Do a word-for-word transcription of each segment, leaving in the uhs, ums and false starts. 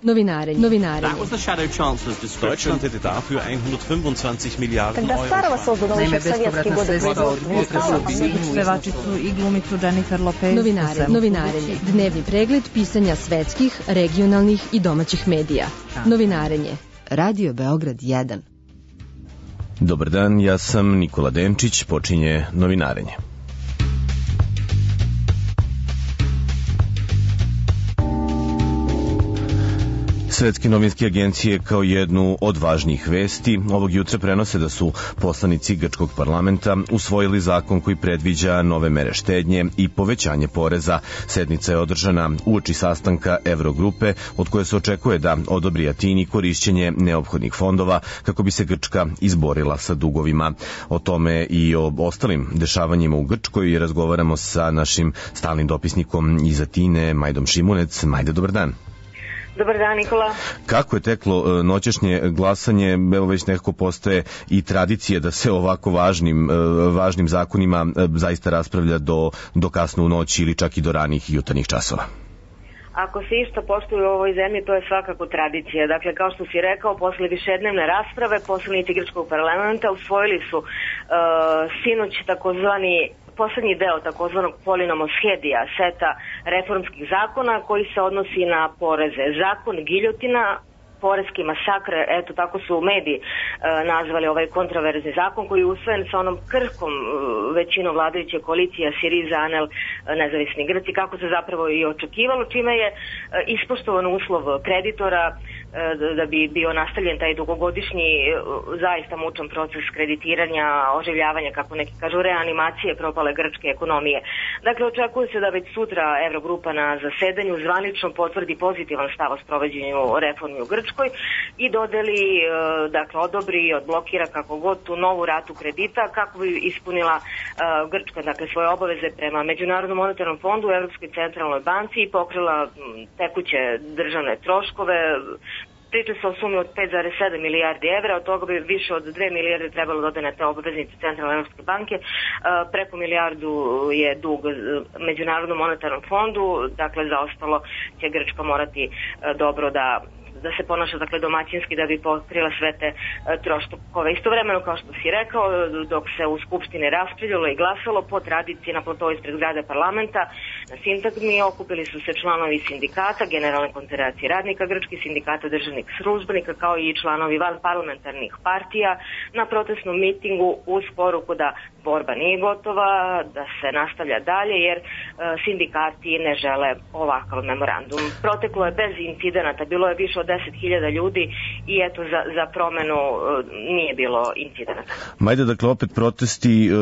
Novinarenje. Novinarenje. That was the Shadow Chancellor's description. Deutschland hätte dafür hundertfünfundzwanzig Milliarden Euro. Naime, bespovratna sredstva od pevačicu i glumicu Jennifer Lopez. Novinarenje. Novinarenje. Dnevni pregled pisanja svetskih, regionalnih i domaćih medija. Novinarenje. Radio Beograd jedan. Dobar dan, ja sam Nikola Denčić, počinje Novinarenje. Svetske novinske agencije kao jednu od važnijih vesti ovog jutra prenose da su poslanici grčkog parlamenta usvojili zakon koji predviđa nove mere štednje i povećanje poreza. Sednica je održana uoči sastanka Evrogrupe, od koje se očekuje da odobri Atini korišćenje neophodnih fondova kako bi se Grčka izborila sa dugovima. O tome i o ostalim dešavanjima u Grčkoj razgovaramo sa našim stalnim dopisnikom iz Atine, Majdom Šimunec. Majde, dobar dan. Dobar dan, Nikola. Kako je teklo noćašnje glasanje? Evo već nekako postoje i tradicije da se ovako važnim, važnim zakonima zaista raspravlja do, do kasno u noći ili čak i do ranih jutarnjih časova. Ako se isto poštuje u ovoj zemlji, to je svakako tradicija. Dakle, kao što si rekao, posle višednevne rasprave, poslanici grčkog parlamenta usvojili su uh, sinoć takozvani poslednji deo takozvanog polinomoskedija, seta reformskih zakona koji se odnosi na poreze. Zakon giljotina, poreski masakr, eto tako su mediji e, nazvali ovaj kontraverzni zakon koji je usvojen sa onom krhkom e, većinom vladajuće koalicije Siriza, Anel, e, nezavisni Grci, kako se zapravo i očekivalo, čime je e, ispoštovan uslov kreditora e, da bi bio nastavljen taj dugogodišnji e, zaista mučan proces kreditiranja, oživljavanja, kako neki kažu, reanimacije propale grčke ekonomije. Dakle, očekuje se da već sutra Evrogrupa na zasedanju zvanično potvrdi pozitivan stav o sprovođenju reformi u Grčkoj i dodeli, dakle, odobri, odblokira kako god tu novu ratu kredita kako bi ispunila uh, Grčka, dakle, svoje obaveze prema Međunarodnom monetarnom fondu, Evropskoj centralnoj banci i pokrila tekuće državne troškove. Priča se o sumi od pet zarez sedam milijardi evra, od toga bi više od dve milijarde trebalo dodane te obveznice Centralne Evropske banke, preko milijardu je dug Međunarodnom monetarnom fondu, dakle za ostalo će Grčka morati dobro da da se ponaša, dakle, domaćinski da bi pokrila sve te e, troškove. Istovremeno, kao što si rekao, dok se u Skupštini raspravljalo i glasalo, po tradiciji na platovu ispred zgrade parlamenta, na sintagmi okupili su se članovi sindikata, Generalne konfederacije radnika grčkih, sindikata državnih službenika, kao i članovi van parlamentarnih partija na protestnom mitingu uz poruku da borba nije gotova, da se nastavlja dalje, jer e, sindikati ne žele ovakav memorandum. Proteklo je bez incidenata, bilo je više od deset hiljada ljudi i eto za, za promenu e, nije bilo incidenata. Majde, dakle, opet protesti, e,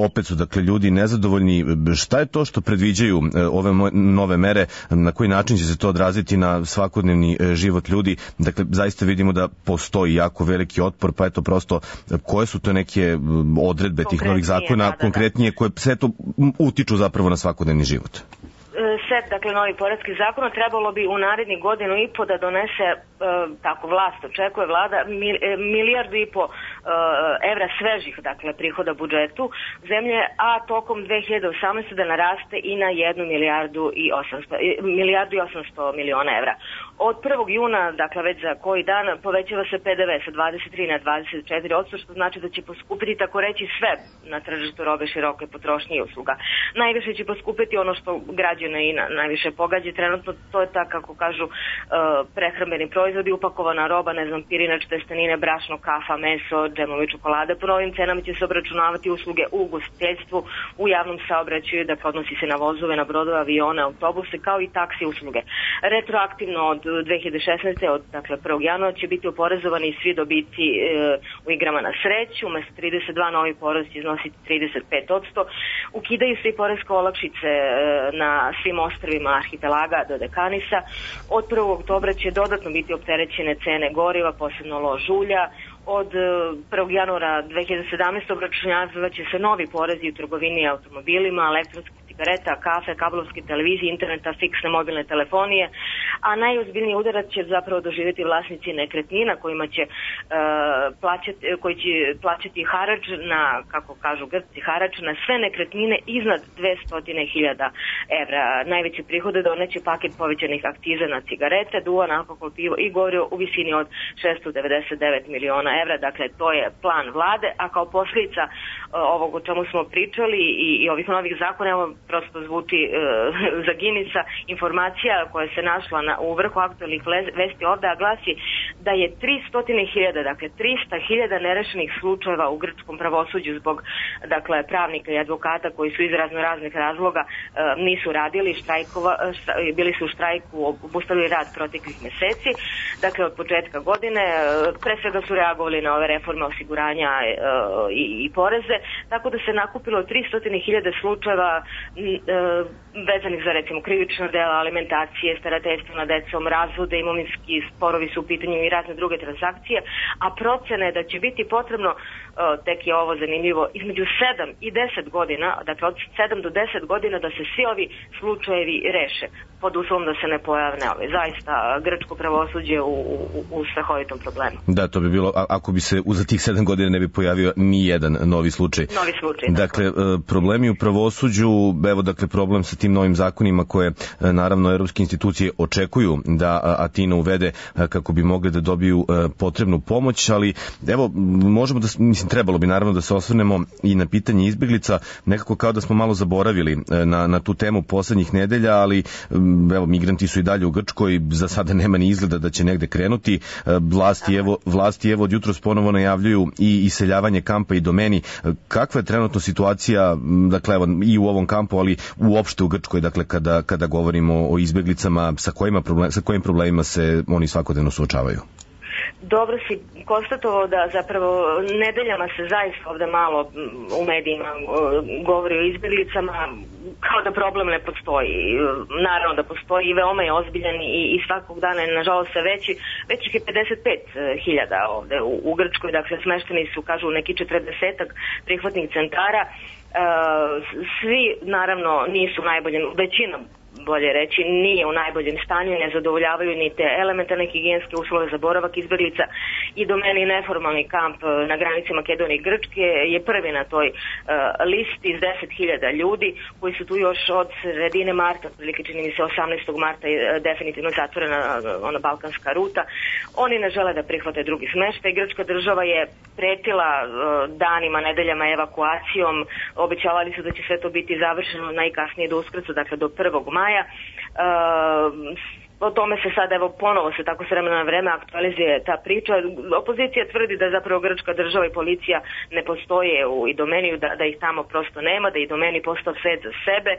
opet su, dakle, ljudi nezadovoljni. Šta je to što predviđaju e, ove nove mere? Na koji način će se to odraziti na svakodnevni e, život ljudi? Dakle, zaista vidimo da postoji jako veliki otpor, pa eto prosto koje su to neke odredbe tih novih zakona, da, da, konkretnije, koje sve to utiču zapravo na svakodnevni život? Set, dakle, novi poreskih zakona trebalo bi u narednih godinu i po da donese, e, tako vlast očekuje vlada, mil, e, milijardu i po e, evra svežih, dakle, prihoda budžetu zemlje, a tokom dve hiljade osamnaeste. da naraste i na jednu milijardu i osamsto, milijardu i osamsto miliona evra. Od prvog juna, dakle, već za koji dan, povećava se P D V sa dvadeset tri na dvadeset četiri posto, što znači da će poskupiti, tako reći, sve na tržištu robe široke potrošnje i usluga. Najviše će poskupiti ono što građane i na, najviše pogađa trenutno, to je tako, kako kažu, uh, prehrambeni proizvodi, upakovana roba, ne znam, pirinač, testenine, brašno, kafa, meso, džemovi, čokolade. Po novim cenama će se obračunavati usluge u ugostiteljstvu, u javnom saobraćaju, dakle, odnosi se na vozove, na brodove, avione, autobuse, kao i taksi usluge. Retroaktivno od dve hiljade šesnaeste. od, dakle, prvog januara će biti oporezovani svi dobici e, u igrama na sreću, umesto trideset dva novi porez će iznositi trideset pet posto. Ukidaju se i poreske olakšice e, na svim ostrvima arhipelaga do Dekanisa. Od prvog oktobra će dodatno biti opterećene cene goriva, posebno lož ulja. Od prvog januara dve hiljade sedamnaeste. obračunavaće se novi porezi u trgovini automobilima, elektronskoj cigareta, kafe, kablovske televizije, interneta, fiksne mobilne telefonije, a najozbiljniji udarac će zapravo doživjeti vlasnici nekretnina kojima će, uh, plaćati, koji će plaćati harač na, kako kažu Grci, harač na sve nekretnine iznad dvesta hiljada evra. Najveće prihode doneće paket povećanih akciza na cigarete, duvan, alkohol, pivo i gorivo u visini od šesto devedeset devet miliona evra. Dakle, to je plan vlade, a kao posljedica ovog o čemu smo pričali i, i ovih novih zakona, evo prosto zvuči e, za Ginisa informacija koja se našla na, u vrhu aktualnih vesti ovdje, a glasi da je tristo hiljada, dakle trista hiljada nerešenih slučajeva u grčkom pravosuđu zbog dakle pravnika i advokata koji su iz razno raznih razloga e, nisu radili, štrajkova, štra, bili su u štrajku, obustavili rad proteklih meseci, dakle od početka godine, e, pre svega su reagovali na ove reforme osiguranja e, i, i poreze, tako da se nakupilo tristo hiljada slučajeva e, vezanih za recimo krivično dela, alimentacije, starateljstvo nad decom, razvode, imovinski sporovi su u pitanju i razne druge transakcije, a procene da će biti potrebno, e, tek je ovo zanimljivo, između sedam i deset godina, dakle od sedam do deset godina da se svi ovi slučajevi reše, pod uslovom da se ne pojavne ove. Zaista grčko pravosuđe u, u, u strahovitom problemu. Da, to bi bilo, a, ako bi se za tih sedam godina ne bi pojavio ni jedan novi slučaj. Novi slučaj. Dakle, dakle, problemi u pravosuđu, evo dakle problem sa tim novim zakonima koje naravno europske institucije očekuju da Atina uvede kako bi mogli da dobiju potrebnu pomoć, ali evo možemo da, mislim, trebalo bi naravno da se osvrnemo i na pitanje izbeglica, nekako kao da smo malo zaboravili na, na tu temu poslednjih nedelja, ali evo migranti su i dalje u Grčkoj, za sada nema ni izgleda da će negde krenuti. Vlasti evo, vlasti evo od jutros ponovo najavljuju i iseljavanje kampa i domeni. Kakva je trenutno situacija, dakle evo i u ovom kampu, ali uopšte u Grčkoj, dakle kada, kada govorimo o izbeglicama, sa kojima problem, sa kojim problemima se oni svakodnevno suočavaju? Dobro si konstatovao da zapravo nedeljama se zaista ovde malo u medijima govori o izbjeglicama, kao da problem ne postoji. Naravno da postoji i veoma je ozbiljan i, i svakog dana je nažalost sve veći. Već ih je pedeset pet hiljada ovde u, u Grčkoj, dakle smešteni su, kažu, neki četrdesetak prihvatnih centara. E, svi naravno nisu najbolji, većina bolje reći, nije u najboljem stanju, ne zadovoljavaju ni te elementarne higijenske uslove za boravak izbeglica i domeni neformalni kamp na granici Makedonije i Grčke je prvi na toj uh, listi iz deset hiljada ljudi koji su tu još od sredine marta, prilike čini mi se osamnaestog marta je uh, definitivno zatvorena uh, ona balkanska ruta. Oni ne žele da prihvate drugi smeštaj. Grčka država je pretila uh, danima, nedeljama evakuacijom, obećavali su da će sve to biti završeno najkasnije do Uskrsa, dakle do prvog maja. Uh, o tome se sad evo ponovo se tako s vremena na vreme aktualizuje ta priča. Opozicija tvrdi da zapravo grčka država i policija ne postoje u Idomeniju, da, da ih tamo prosto nema, da Idomeni postao svet za sebe,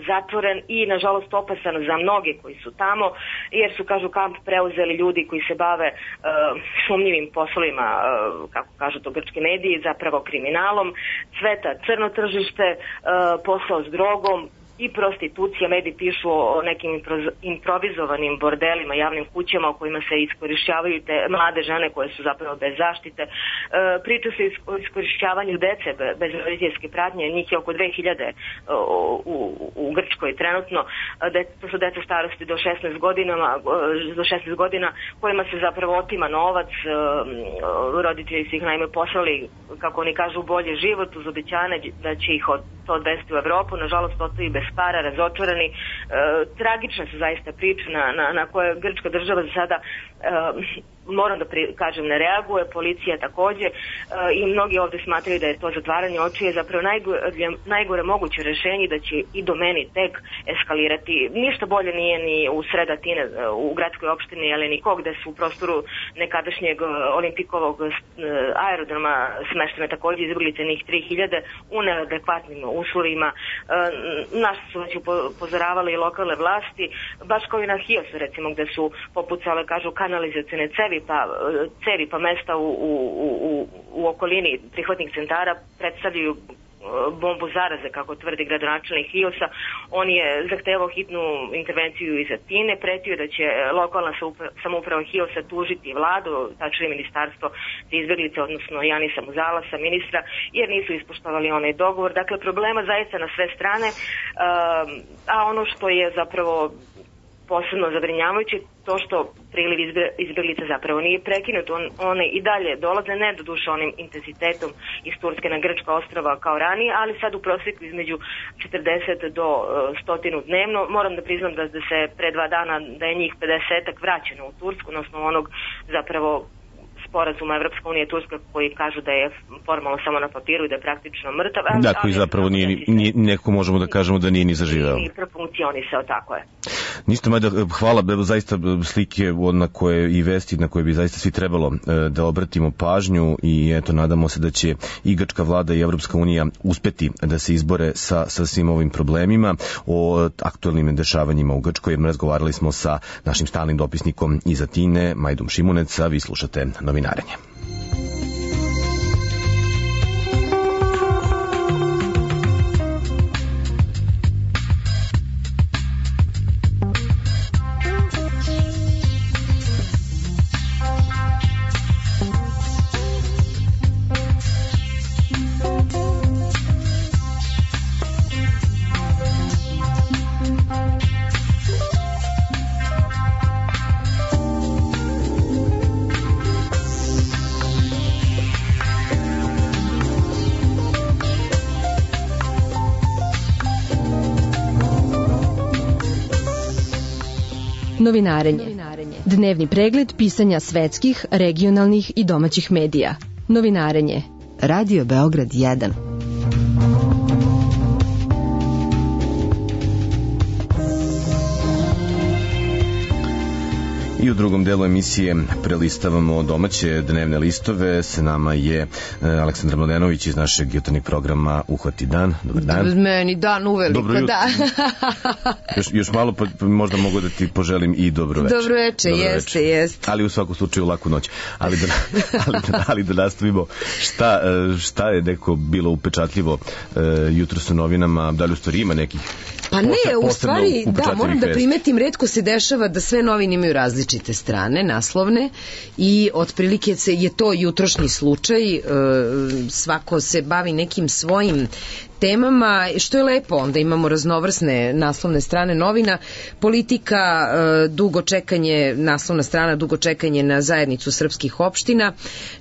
zatvoren i nažalost opasan za mnoge koji su tamo, jer su, kažu, kamp preuzeli ljudi koji se bave uh, sumnjivim poslovima, uh, kako kažu to grčki mediji, zapravo kriminalom, cveta crno tržište, uh, posao s drogom i prostitucija. Mediji pišu o nekim improvizovanim bordelima, javnim kućama u kojima se iskorišćavaju te mlade žene koje su zapravo bez zaštite. E, priča se o iskorišćavanju dece bez roditeljske pratnje, njih je oko dve hiljade u, u Grčkoj trenutno. De, to su deca starosti do šesnaest godina, do šesnaest godina kojima se zapravo otima novac. E, roditelji su ih naime poslali, kako oni kažu, bolji život uz obećanje da će ih od, to odvesti u Evropu. Nažalost, ostaju bez para, razočarani. E, tragična su zaista priča na, na, na koje grčka država za sada, e, moram da pri, kažem, ne reaguje, policija takođe, e, i mnogi ovde smatraju da je to zatvaranje očiju je zapravo najgore, najgore moguće rešenje, da će i domeni tek eskalirati. Ništa bolje nije ni u sred Atine, u gradskoj opštini Elenikog, gde su u prostoru nekadašnjeg olimpikovog aerodroma smeštene takođe izbeglice njih tri hiljade u neadekvatnim uslovima. E, na što su već upozoravali i lokalne vlasti, baš kao i na Hiosu, recimo, gde su popucale, kažu, kanalizacione cevi pa, cevi pa mesta u, u, u, u okolini prihvatnih centara predstavljaju bombu zaraze, kako tvrdi gradonačelnik Hiosa. On je zahtevao hitnu intervenciju iz Atine, pretio da će lokalna samouprava Hiosa tužiti vladu, tačnije ministarstvo za izbeglice, odnosno Janisa Muzalasa, ministra, jer nisu ispoštovali onaj dogovor. Dakle, problema zaista na sve strane, a ono što je zapravo posebno zabrinjavajuće, to što priliv izbeglica zapravo nije prekinut, On, one i dalje dolaze, ne do duše onim intenzitetom iz Turske na grčka ostrava kao ranije, ali sad u prosjeku između četrdeset do sto dnevno. Moram da priznam da, da se pre dva dana da je njih pedesetak vraćeno u Tursku, odnosno onog zapravo sporazuma Evropska unija i Turska koji kažu da je formalno samo na papiru i da je praktično mrtav. Da, koji zapravo nije, nije, neko možemo da kažemo da nije ni zaživeo. Nije profunkcionisao, tako je. Ništa, Majda, hvala, zaista slike na koje i vesti na koje bi zaista svi trebalo da obratimo pažnju i eto, nadamo se da će i grčka vlada i Evropska unija uspeti da se izbore sa, sa svim ovim problemima. O aktualnim dešavanjima u Grčkoj razgovarali smo sa našim stalnim dopisnikom iz Atine, Majdom Šimunec, a vi slušate Novinarenje. Novinarenje. Dnevni pregled pisanja svetskih, regionalnih i domaćih medija. Novinarenje. Radio Beograd jedan. I u drugom delu emisije prelistavamo domaće dnevne listove. S nama je Aleksandra Mladenović iz našeg jutarnjeg programa Uhvati dan. Dobar dan. Meni dan uveliko, dobro, da. još, još malo pa možda mogu da ti poželim i dobro večer. Dobro večer, dobro jeste, večer. jeste. Ali u svakom slučaju laku noć. Ali da, ali da, ali da nastavimo. Šta, šta je neko bilo upečatljivo uh, jutros u novinama? Da li u stvari ima nekih? Pa ne, u stvari, da, moram da primetim, retko se dešava da sve novine imaju različite strane, naslovne, i otprilike je to jutrošnji slučaj, svako se bavi nekim svojim temama, što je lepo, onda imamo raznovrsne naslovne strane novina. Politika, dugo čekanje, naslovna strana, dugo čekanje na zajednicu srpskih opština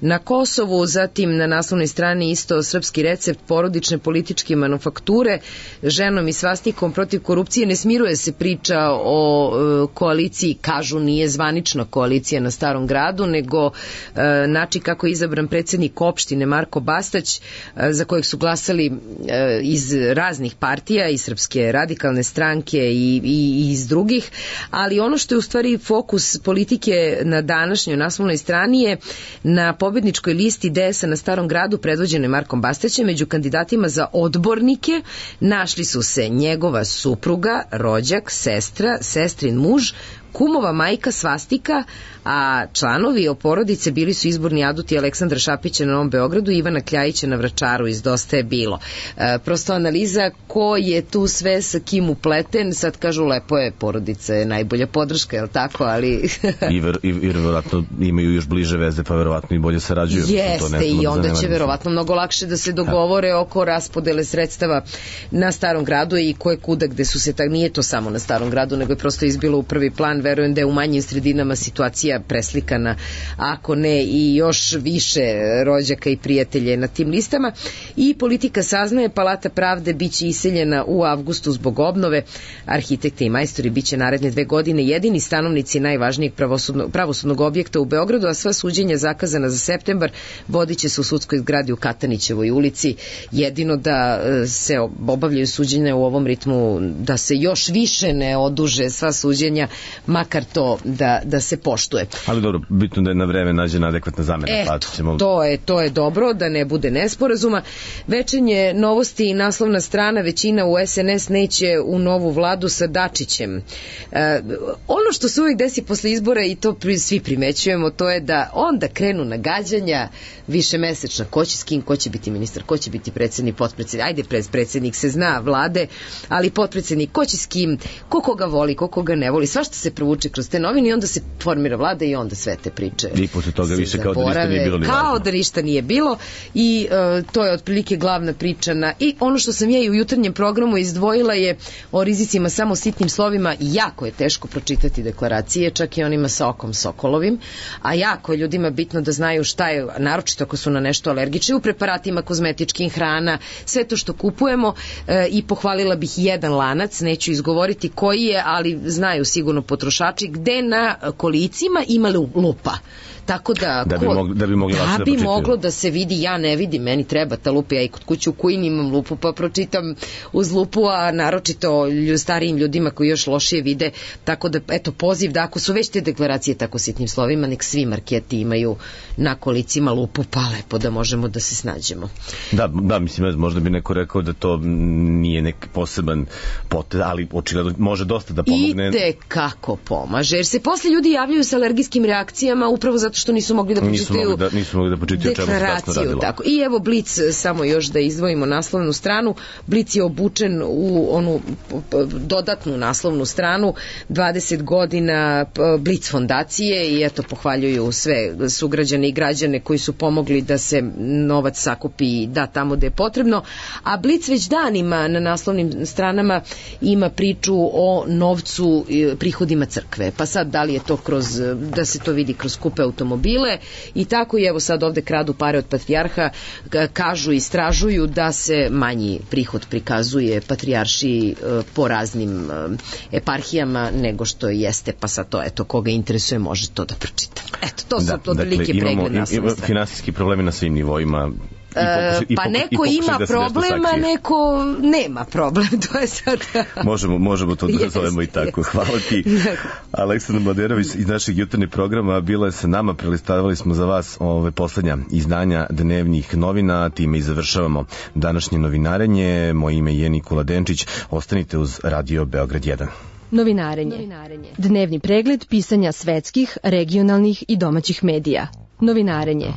na Kosovu, zatim na naslovnoj strani isto srpski recept porodične političke manufakture, ženom i svastikom protiv korupcije. Ne smiruje se priča o koaliciji, kažu nije zvanična koalicija na Starom gradu, nego način kako je izabran predsjednik opštine Marko Bastać, za kojeg su glasali iz raznih partija, iz Srpske radikalne stranke i, i iz drugih, ali ono što je u stvari fokus politike na današnjoj naslovnoj strani je na pobedničkoj listi D S A na Starom gradu predvođene Markom Bastaćem. Među kandidatima za odbornike našli su se njegova supruga, rođak, sestra, sestrin muž, kumova majka, svastika, a članovi o porodice bili su izborni aduti Aleksandra Šapića na Novom Beogradu i Ivana Kljajića na Vračaru iz Dosta je bilo. E, prosto analiza ko je tu sve sa kim upleten, sad kažu lepo je, porodica je najbolja podrška, je li tako, ali... I, ver, i, i verovatno imaju još bliže veze, pa verovatno i bolje sarađuju. Jeste, i onda će verovatno mnogo lakše da se dogovore oko raspodele sredstava na Starom gradu i koje kuda gde su se, tak, nije to samo na Starom gradu, nego je prosto izbilo u prvi plan. Verujem da je u manjim sredinama situacija preslikana, ako ne i još više rođaka i prijatelje na tim listama. I politika saznaje, Palata pravde biće iseljena u avgustu zbog obnove. Arhitekte i majstori biće naredne dve godine jedini stanovnici najvažnijeg pravosudnog, pravosudnog objekta u Beogradu, a sva suđenja zakazana za septembar vodit će se u sudskoj zgradi u Katanićevoj ulici. Jedino da se obavljaju suđenja u ovom ritmu, da se još više ne oduže sva suđenja, makar to da, da se poštuje. Ali dobro, bitno da je na vreme nađena adekvatna zamena. Eto, pa ćemo... to, je, to je dobro, da ne bude nesporazuma. Večernje novosti i naslovna strana, većina u S N S neće u novu vladu sa Dačićem. E, ono što se uvijek desi posle izbora, i to svi primećujemo, to je da onda krenu nagađanja višemesečna, ko će s kim, ko će biti ministar, ko će biti predsednik, potpredsednik, ajde predsednik se zna vlade, ali potpredsednik, ko će s kim, ko koga voli, ko koga ne voli, svašta se provuče kroz te novine i onda se formira vlada i onda sve te priče i posle toga više kao da ništa nije bilo. Kao da ništa nije bilo i uh, to je otprilike glavna priča na... I ono što sam ja i u jutarnjem programu izdvojila je o rizicima samo sitnim slovima. Jako je teško pročitati deklaracije, čak i onima sa okom sokolovim, a jako je ljudima bitno da znaju šta je, naročito ako su na nešto alergični, u preparatima, kozmetičkim, hrana, sve to što kupujemo, e, i pohvalila bih jedan lanac, neću izgovoriti koji je, ali znaju sigurno potrošači, gde na kolicima ima lupa. Tako da, da bi, mogli, da bi, mogli da da bi moglo da se vidi, ja ne vidim, meni treba ta lupa, ja i kod kuće u Kujini imam lupu pa pročitam uz lupu, a naročito starijim ljudima koji još lošije vide, tako da eto poziv da ako su već te deklaracije tako sitnim slovima, nek svi marketi imaju na kolicima lupu, pa lepo da možemo da se snađemo. Da, da, mislim, možda bi neko rekao da to nije neki poseban potez, ali očigledno može dosta da pomogne. I te kako pomaže, jer se posle ljudi javljaju sa alergijskim reakcijama upravo zato što nisu mogli da počitaju da, nisu mogli da počitaju deklaraciju. Tako. I evo Blic, samo još da izdvojimo naslovnu stranu, Blic je obučen u onu dodatnu naslovnu stranu, dvadeset godina Blic fondacije i eto pohvaljuju sve sugrađane i građane koji su pomogli da se novac sakupi i da tamo gde je potrebno, a Blic već danima na naslovnim stranama ima priču o novcu, prihodima crkve, pa sad da li je to kroz, da se to vidi kroz kupe automobile i tako, i evo sad ovde kradu pare od patrijarha, kažu i istražuju da se manji prihod prikazuje patrijarši po raznim eparhijama nego što jeste, pa sad to, eto, koga interesuje može to da pročita. Eto, to su da, odlike dakle, pregled naslovne strane. Finansijski problemi na svim nivoima. I pa neko ima da problema, neko nema problem, to je sad... možemo, možemo to da zovemo i tako. Hvala ti. Aleksandra Mladerović iz našeg jutarnjeg programa bila je sa nama, prelistavali smo za vas ove poslednja izdanja dnevnih novina, time i završavamo današnje novinarenje. Moje ime je Nikola Denčić, ostanite uz Radio Beograd jedan. Novinarenje. Novinarenje. Dnevni pregled pisanja svetskih, regionalnih i domaćih medija. Novinarenje.